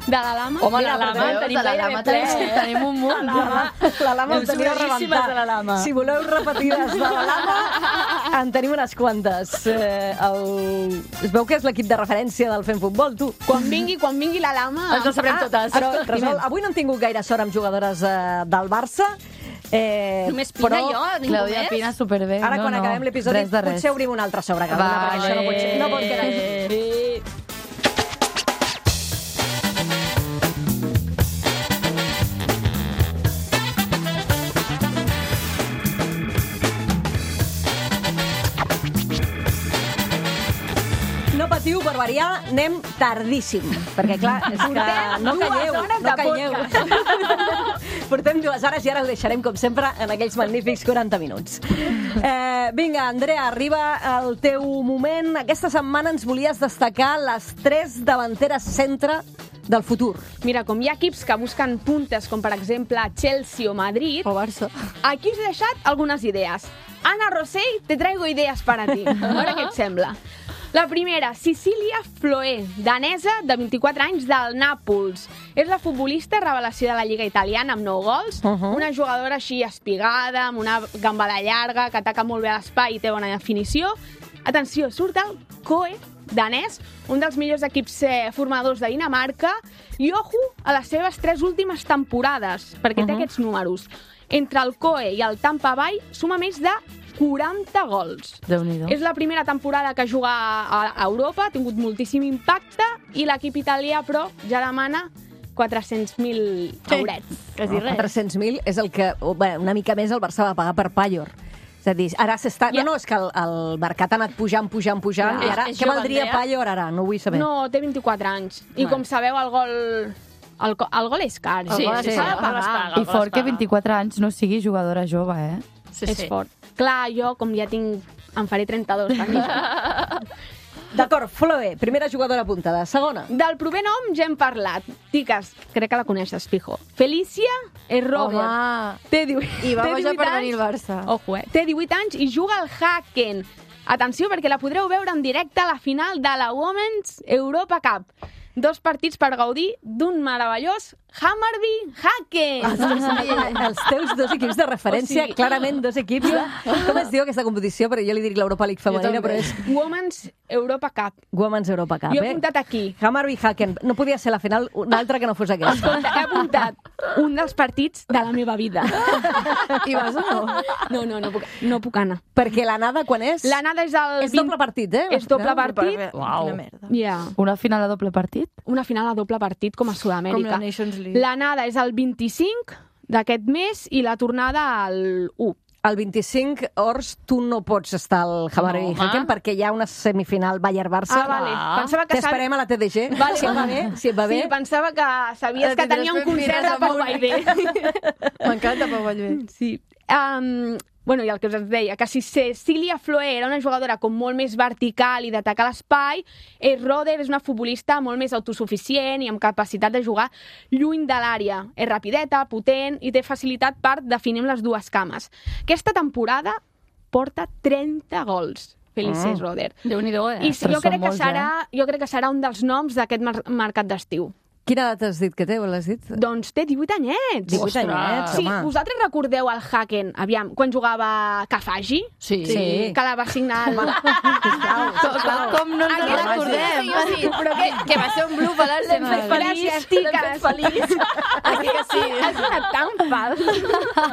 de la Lama. Home, Mira, la Lama veus, tenim de la gairebé Lama ple, tenim, eh? tenim un munt. La Lama, la Lama en teniu a Boníssimes de la Lama. rebentar. Si voleu repetides de la Lama, en tenim unes quantes. Eh, el... Es veu que és l'equip de referència del Fem Futbol, tu. Quan vingui, quan vingui la Lama... Ens ho sabrem totes. Però, resol, avui no hem tingut gaire sort amb jugadores eh, del Barça. Eh, Només Pina però... i jo, ningú Clàudia més? Pina, superbé. Ara, no, quan no, acabem l'episodi, res de res. potser obrim una altra sobre cada una, Vale. perquè això no pot, ser, no pot quedar així. No patiu, per variar, anem tardíssim. Perquè, clar, és que no dues calleu, hores no de calleu. Portem dues hores i ara ho deixarem, com sempre, en aquells magnífics quaranta minuts. Eh, vinga, Andrea, arriba el teu moment. Aquesta setmana ens volies destacar les tres davanteres centre del futur. Mira, com hi ha equips que busquen puntes, com per exemple Chelsea o Madrid, O Barça. aquí us he deixat algunes idees. Ana Rosell, te traigo idees para ti. A veure què et sembla. La primera, Cecilia Floé, danesa de vint-i-quatre anys del Nàpols. És la futbolista revelació de la Lliga Italiana amb nou gols, Uh -huh. una jugadora així espigada, amb una gambada llarga, que ataca molt bé a l'espai i té bona definició. Atenció, surt el C O E danès, un dels millors equips eh, formadors de Dinamarca, i ojo a les seves tres últimes temporades, perquè té Uh-huh. aquests números. Entre el C O E i el Tampa Bay suma més de quaranta gols. Déu-n'hi-do. És la primera temporada que juga a a Europa, ha tingut moltíssim impacte, i l'equip italià, però, ja demana quatre-cents mil eurets. Quasi res. quatre-cents mil és el que, oh, bé, una mica més el Barça va pagar per Pallor. És a dir, ara s'està... Ja. No, no, és que el, el mercat ha anat pujant, pujant, pujant, Clar. i ara, És- és què jove, valdria Andrea? Pallor ara? No ho vull saber. No, té vint-i-quatre anys. I Bueno. com sabeu, el gol... El, co- el gol és car. Sí, el gol sí, s'ha sí, de el gol es pagar. paga. I fort que vint-i-quatre anys no sigui jugadora jove, eh? Sí, És sí. fort. Clar, jo, com ja tinc... Em faré trenta-dos, també. D'acord, Floe, primera jugadora apuntada. Segona. Del proper nom ja hem parlat. Tiques, crec que la coneixes, fijo. Felicia Errober. Home. Té divuit, I va té baixar divuit per anys. venir al Barça. Ojo, eh? Té divuit anys i juga al Haken. Atenció, perquè la podreu veure en directe a la final de la Women's Europa Cup. Dos partits per gaudir d'un meravellós Hammarby Haken. Els teus dos equips de referència, O sigui- clarament dos equips de... Com es diu aquesta competició? Perquè jo li dic l'Europa League femenina, però és Women's Europa Cup. Women's Europa Cup, Jo he eh? apuntat aquí. Hammarby Haken. No podia ser la final una altra que no fos aquesta. Escolta, he apuntat un dels partits de la meva vida. I vas o no? No, no, no puc, no puc anar. Perquè l'anada quan és? L'anada és el... És doble partit, eh? És doble partit. Uau. Quina merda. Ja. Una final a doble partit? Una final a doble partit com a Com Sud-amèrica. la Nations League. L'anada és el vint-i-cinc d'aquest mes i la tornada al u. El vint-i-cinc, Ors, tu no pots estar al Hammarby No, Haken home. perquè hi ha una semifinal Bayern-Barça. Ah, vale. Ah. Pensava que T'esperem a la T D G. Vale, si et va bé, si et va bé. Sí, pensava que sabies Eh, que tindràs tenia un ben concert mires de Pau amunt. Vallvé. M'encanta Pau Vallvé. Sí. Um, bueno, i el que us deia, que si Cecilia Floé era una jugadora com molt més vertical i d'atacar l'espai, eh, Roder és una futbolista molt més autosuficient i amb capacitat de jugar lluny de l'àrea. És rapideta, potent i té facilitat per definir amb les dues cames. Aquesta temporada porta trenta gols. Felices Mm. Roder. Déu-n'hi-do, eh? I Ostres, jo crec, són que molts, serà, jo crec que serà un dels noms d'aquest mar mercat d'estiu. Quina edat has dit que té? L'has dit? Doncs té divuit anyets. divuit Ostres. anyets, Sí, home. vosaltres recordeu el Haken, aviam, quan jugava Cafagi? Sí. Sí. Que la va signar el... Sisplau, sisplau. Com no ens Aquella en recordem? Sí, sí, però que, que va ser un bluff a l'Arsenal. Gràcies, tiques. feliç. Aquí que sí. Has donat tan fals.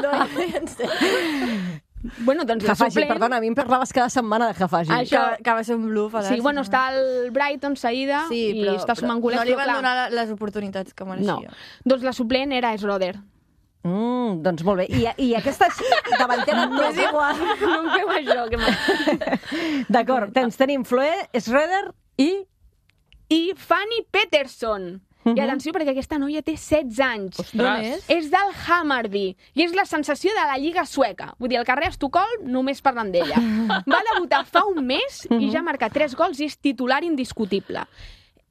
No, en sèrio. Bueno, doncs la Jafagi, suplent... perdona, a mi em parlaves cada setmana de Jafagi. Això- Que, que va ser un bluff a l'Arsenal. Sí, bueno, està el Brighton seguida Sí, i però, està sumant golets, no li però van clar, donar les oportunitats que mereixia. no. Doncs la suplent era Esroder. Mm, doncs molt bé. I, i aquesta davantera no és igual. No em feu això, que m'ha... D'acord, tens, tenim Floé, Schroeder i... i Fanny Peterson. Uh -huh. I atenció, perquè aquesta noia té setze anys. Ostres. És? És del Hammarby. I és la sensació de la Lliga sueca. Vull dir, al carrer Estocolm només parlen d'ella. Va debutar fa un mes i ja ha marcat tres gols i és titular indiscutible.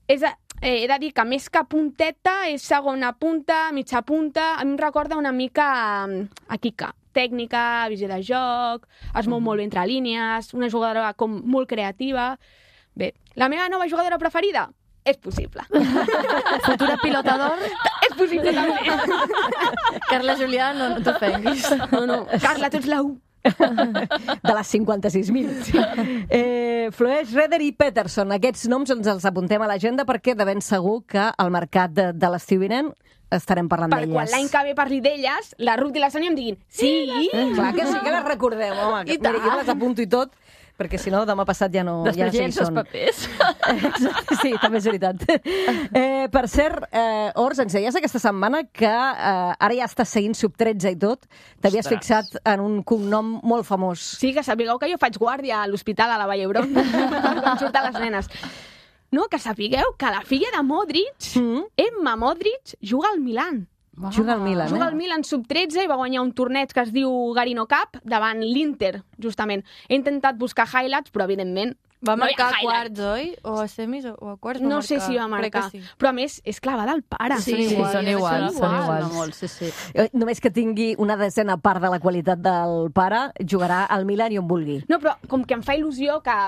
És a, eh, he de dir que més que punteta és segona punta, mitja punta. A mi em recorda una mica a Kika. Tècnica, visió de joc, es mou molt bé entre línies, una jugadora com molt creativa. Bé, la meva nova jugadora preferida? És possible. Futura pilota d'or? És possible també. Carla Julià, no, no t'ofenguis. No, no. Carla, tu ets la u. De les cinquanta-sis mil. Eh, Floeix, Reder i Peterson. Aquests noms ens els apuntem a l'agenda perquè de ben segur que al mercat de, de l'estiu vinent estarem parlant Per d'elles. quan l'any que ve parli d'elles, la Ruth i la Sònia em diguin sí. Clar que sí que les recordem, home. I Mira, tant. jo les apunto i tot, perquè si no, demà passat ja no, ja no Després sé ja qui els són. papers. Sí, també és veritat. Eh, per cert, eh, Ors, ens deies aquesta setmana que eh, ara ja estàs seguint Sub tretze i tot. T'havies Ostres. fixat en un cognom molt famós. Sí, que sapigueu que jo faig guàrdia a l'hospital a la Vall d'Hebron quan surten les nenes. No, que sapigueu que la filla de Modric, Mm. Emma Modric, juga al Milan. Juga al Milan, Juga eh? al Milan sub tretze i va guanyar un torneig que es diu Garino Cup davant l'Inter, justament. He intentat buscar highlights, però evidentment Va no hi ha marcar a highlights. quarts, oi? O a semis o a quarts va No marcar. sé si va Crec marcar, que sí. però a més és clavada al pare. Sí, sí, són iguals, són iguals. No, molt, sí, sí. Eh, Només que tingui una desena part de la qualitat del pare, jugarà al Milan i on vulgui. No, però com que em fa il·lusió que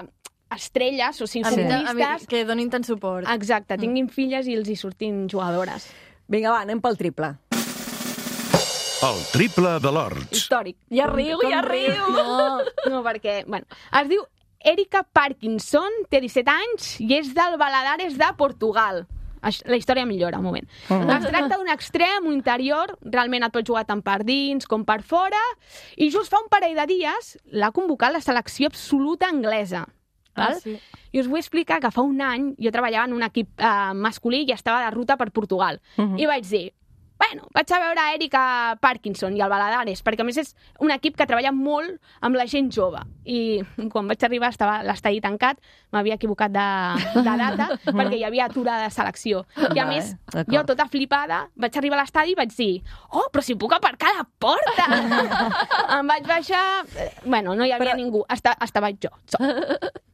estrelles, o sigui, A mi, a mi, futbolistes, que donin tant suport. exacte, tinguin filles i els hi surtin jugadores. Vinga, va, anem pel triple. El triple de l'Horts. Històric. Ja riu, ja riu. No, no, perquè, bueno, es diu Erika Parkinson, té disset anys i és del Valadares de Portugal. Aix- La història millora, un moment. Es tracta d'un extrem, un interior, realment et pot jugar tant per dins com per fora, i just fa un parell de dies l'ha convocat la selecció absoluta anglesa. Val? Ah, sí. I us vull explicar que fa un any jo treballava en un equip eh, masculí i estava de ruta per Portugal. I vaig dir, bueno, vaig a veure Erika Parkinson i el Valadares, perquè a més és un equip que treballa molt amb la gent jove. I quan vaig arribar estava l'estadi tancat, m'havia equivocat de, de data, perquè hi havia aturada de selecció. I a Vale, més, d'acord. jo tota flipada, vaig arribar a l'estadi i vaig dir, oh, però si puc aparcar a la porta! Em vaig baixar... eh, Bueno, no hi havia Però- ningú, Esta, estava jo. sol.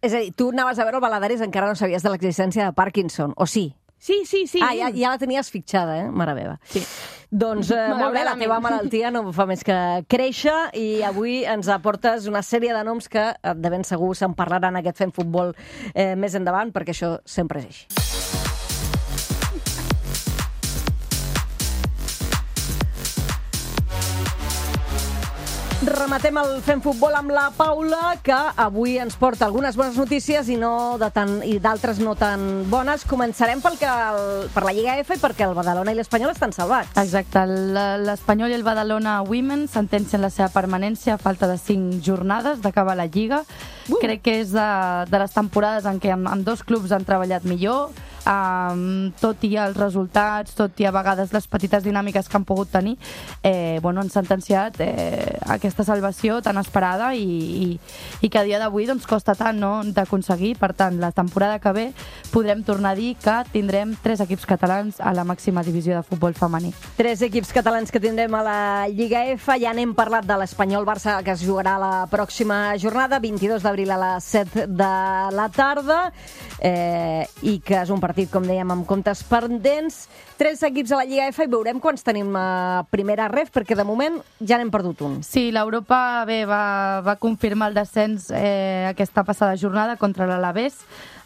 És a dir, tu anaves a veure el Valadares, encara no sabies de l'existència de Parkinson, o sí? Sí, sí, sí. Ah, ja, ja la tenies fitxada, eh? Mare meva. Sí. Doncs eh, molt bé, la Malauradament. teva malaltia no fa més que créixer i avui ens aportes una sèrie de noms que eh, de ben segur se'n parlaran aquest Fem Futbol eh, més endavant, perquè això sempre és així. Rematem el Fem Futbol amb la Paula, que avui ens porta algunes bones notícies i no de tan i d'altres no tan bones. Començarem pel que el, per la Lliga F, perquè el Badalona i l'Espanyol estan salvats. Exacte, l- l'Espanyol i el Badalona Women sentencien la seva permanència a falta de cinc jornades d'acabar la Lliga. Uh. Crec que és de, de les temporades en què amb, amb dos clubs han treballat millor, um, tot i els resultats, tot i a vegades les petites dinàmiques que han pogut tenir, eh, bueno, han sentenciat eh, aquesta salvació tan esperada i, i, i que a dia d'avui doncs, costa tant no, d'aconseguir. Per tant, la temporada que ve podrem tornar a dir que tindrem tres equips catalans a la màxima divisió de futbol femení. Tres equips catalans que tindrem a la Lliga F. Ja n'hem parlat de l'Espanyol-Barça, que es jugarà la pròxima jornada, vint-i-dos d'abril a les set de la tarda, eh, i que és un partit, com dèiem, amb comptes pendents. Tres equips a la Lliga F i veurem quants tenim a primera ref, perquè de moment ja n'hem perdut un. Sí, l'Europa bé, va, va confirmar el descens eh, aquesta passada jornada contra l'Alavés,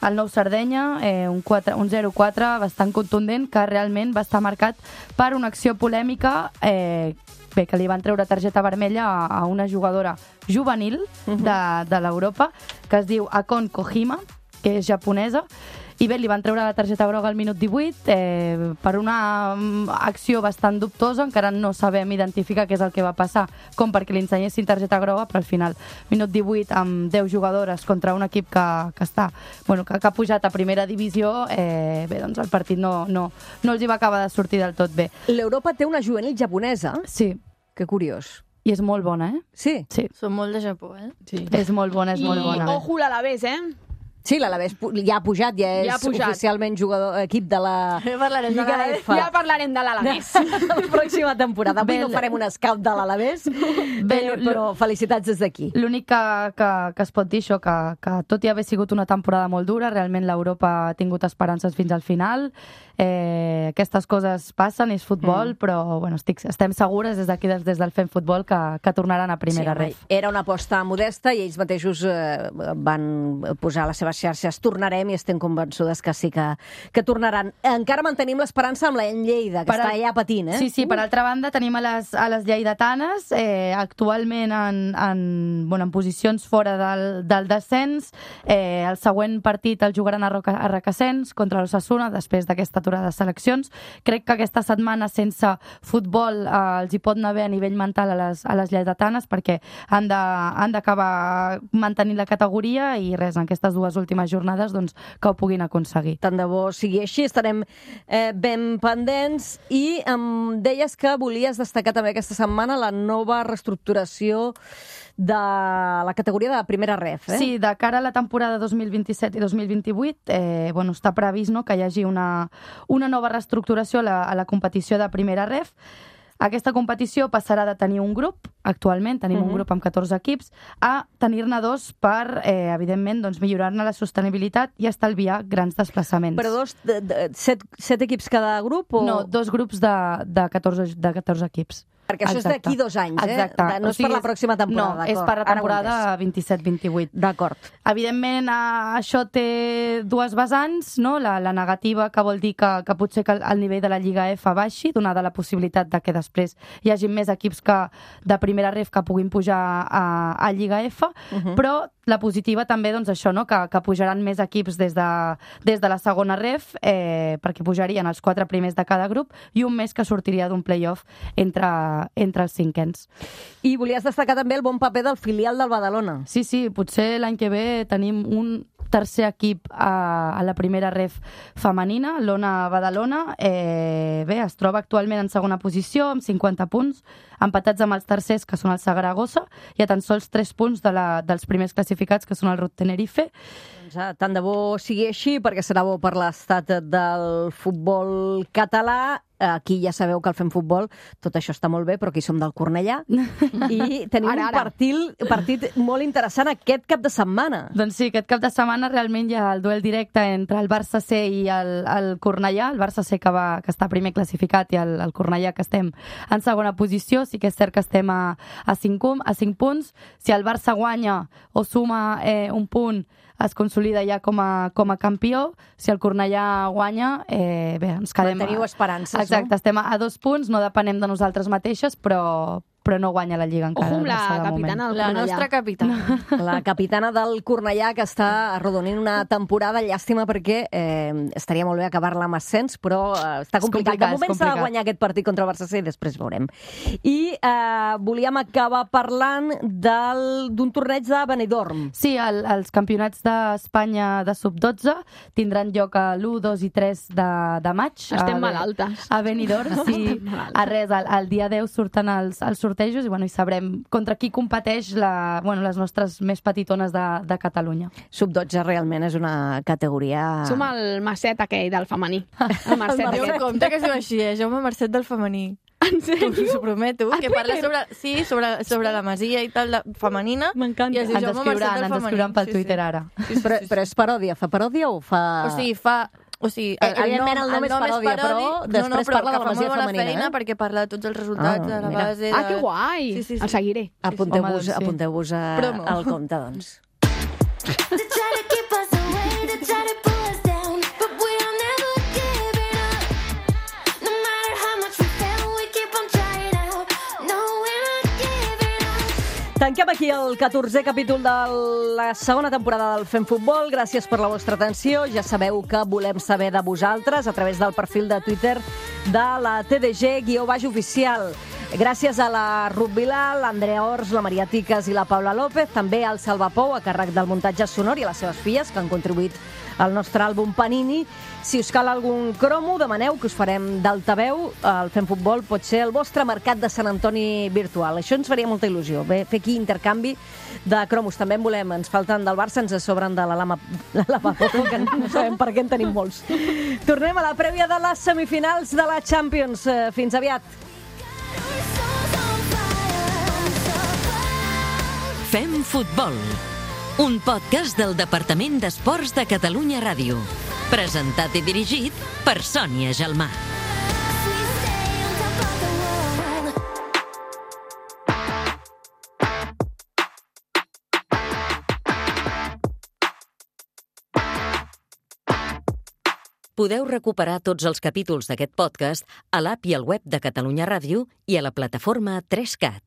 el Nou Sardenya, eh, un, quatre, un zero quatre bastant contundent, que realment va estar marcat per una acció polèmica eh, bé, que li van treure targeta vermella a, a una jugadora juvenil de, de l'Europa, que es diu Akon Kohima, que és japonesa, i bé, li van treure la targeta groga al minut divuit eh, per una mm, acció bastant dubtosa. Encara no sabem identificar què és el que va passar, com perquè li ensenyessin targeta groga, però al final, minut divuit amb deu jugadores contra un equip que, que està, bueno, que, que ha pujat a primera divisió, eh, bé, doncs el partit no, no, no els hi va acabar de sortir del tot bé. L'Europa té una juvenil japonesa. Sí, Que curiós. i és molt bona, eh? Sí? Sí, Són molt de Japó, eh? sí. És molt bona, és I molt bona. ojo l'Alavés, eh? Sí, l'Alavés pu- ja ha pujat, ja és Ja ha pujat. oficialment jugador, equip de la Ja parlarem de Lliga l'Alavés. F. Ja parlarem de l'Alavés. La pròxima temporada. Avui Bé, no farem un scout de l'Alavés, Bé, eh, l- però felicitats des d'aquí. L'únic que, que, que es pot dir això, que, que tot i haver sigut una temporada molt dura, realment l'Europa ha tingut esperances fins al final. Eh, aquestes coses passen, és futbol, mm. però bueno, estic, estem segures des d'aquí, des, des del Fem Futbol, que, que tornaran a primera Sí, ref. Era una aposta modesta i ells mateixos eh, van posar a les seves xarxes tornarem i estem convençudes que sí que, que tornaran. Encara mantenim l'esperança amb la Lleida, que Per està al- allà patint, eh? Sí, sí, per altra banda tenim a les, a les lleidatanes eh, actualment en, en, bueno, en posicions fora del, del descens. Eh, el següent partit el jugaran a, Roca, a Requesens contra l'Ossassuna després d'aquesta aturada de seleccions. Crec que aquesta setmana sense futbol eh, els hi pot anar bé a nivell mental a les, a les lleidatanes perquè han de- han d'acabar mantenint la categoria i res, en aquestes dues últimes jornades doncs, que ho puguin aconseguir. Tant de bo sigui així, estarem eh, ben pendents i em deies que volies destacar també aquesta setmana la nova reestructuració de la categoria de primera ref, eh? Sí, de cara a la temporada dos mil vint-i-set i dos mil vint-i-vuit eh, bueno, està previst, no?, que hi hagi una, una nova reestructuració a la, a la competició de primera ref. Aquesta competició passarà de tenir un grup, actualment tenim Mhm. un grup amb catorze equips, a tenir-ne dos per, eh, evidentment, doncs, millorar-ne la sostenibilitat i estalviar grans desplaçaments. Però dos, de, de, set, set equips cada grup? O... No, dos grups de, de, catorze, de catorze equips. Perquè això Exacte. és d'aquí dos anys, eh? Exacte. De- no O és sigui, per la pròxima temporada, No, és d'acord. per la Ara ho he temporada entès. vint-i-set vint-i-vuit. D'acord. Evidentment, eh, això té dues vessants, no? La, la negativa, que vol dir que, que potser que el, el nivell de la Lliga F baixi, donada la possibilitat de que després hi hagi més equips que de primera ref que puguin pujar a, a Lliga F, uh -huh. però la positiva també, doncs això, no? que, que pujaran més equips des de, des de la segona ref, eh, perquè pujarien els quatre primers de cada grup, i un més que sortiria d'un play-off entre, entre els cinquens. I volies destacar també el bon paper del filial del Badalona. Sí, sí, potser l'any que ve tenim un tercer equip a, a la primera ref femenina, l'Ona Badalona. Eh, bé, es troba actualment en segona posició, amb cinquanta punts, empatats amb els tercers, que són el Saragossa, i a tan sols tres punts de la, dels primers classificats, que són el Rot Tenerife. Doncs, ah, tant de bo sigui així, perquè serà bo per l'estat del futbol català. Aquí ja sabeu que al Fem Futbol tot això està molt bé, però aquí som del Cornellà. I tenim Ara, un ara. partit, partit molt interessant aquest cap de setmana. Doncs sí, aquest cap de setmana realment hi ha el duel directe entre el Barça C i el, el Cornellà, el Barça C que, va, que està primer classificat i el, el Cornellà que estem en segona posició. Sí que és cert que estem a, a, cinc, a cinc punts. Si el Barça guanya o suma eh, un punt, es consolida ja com a, com a campió. Si el Cornellà guanya, eh, bé, ens quedem... Teniu esperances, Exacte, no? estem a, a dos punts, no depenem de nosaltres mateixes, però, però no guanya la Lliga encara. Ojo amb el la Barça, de moment. capitana del La Cornellà. nostra capitana. La capitana del Cornellà, que està arrodonint una temporada, llàstima perquè eh, estaria molt bé acabar-la amb ascens, però eh, està És complicat. complicat, De moment és s'ha de complicat. guanyar aquest partit contra el Barça C i després veurem. I eh, volíem acabar parlant del- d'un torneig de Benidorm. Sí, el, els campionats d'Espanya de sub dotze tindran lloc a l'u, dos i tres de, de maig. Estem a, malaltes. A Benidorm, sí. Estem malaltes. A res, el, el dia deu surten els, els sortejos i, bueno, i sabrem contra qui competeix la, bueno, les nostres més petitones de, de Catalunya. sub dotze realment és una categoria... Som el Marcet aquell del femení. El Marcet Jo aquell. em compte que es diu així, eh? Jaume Marcet del femení. En sèrio? Us ho prometo. A Que parla Twitter? sobre, sí, sobre, sobre la masia i tal, de, femenina. M'encanta. I es diu Ens Jaume Marcet escriuran, del ens femení. escriuran pel Sí, sí. Twitter ara. Però, però és paròdia, fa paròdia o fa... O sigui, fa... O sigui, Eh, evidentment el nom és paròdia, però després no, no, però parla de la que fa masia molt bona femenina, feina eh? perquè parla de tots els resultats Ah, de la mira. base... De... Ah, que guai! Sí, sí, sí. El seguiré. Apunteu-vos Home, doncs sí. apunteu-vos a- Promo. al compte, doncs. They try to keep us away, they try to pull us down, but we'll never give it up. No matter how much we fail, we keep on trying out. No, we're not giving up. Tanquem aquí el catorzè capítol de la segona temporada del Fem Futbol. Gràcies per la vostra atenció. Ja sabeu que volem saber de vosaltres a través del perfil de Twitter de la T D G guió baix oficial. Gràcies a la Ruth Vilà, l'Andrea Ors, la Maria Tiques i la Paula López, també al Salva Pou, a càrrec del muntatge sonor, i a les seves filles, que han contribuït el nostre àlbum Panini. Si us cal algun cromo, demaneu que us farem d'altaveu. El Fem Futbol pot ser el vostre mercat de Sant Antoni virtual. Això ens faria molta il·lusió, bé, fer aquí intercanvi de cromos. També en volem, ens falten del Barça, ens sobren de la Lama, la Lama Poco, que no sabem per què en tenim molts. Tornem a la prèvia de les semifinals de la Champions. Fins aviat. Fem Futbol, un podcast del Departament d'Esports de Catalunya Ràdio. Presentat i dirigit per Sònia Gelmà. Podeu recuperar tots els capítols d'aquest podcast a l'app i al web de Catalunya Ràdio i a la plataforma tres cat.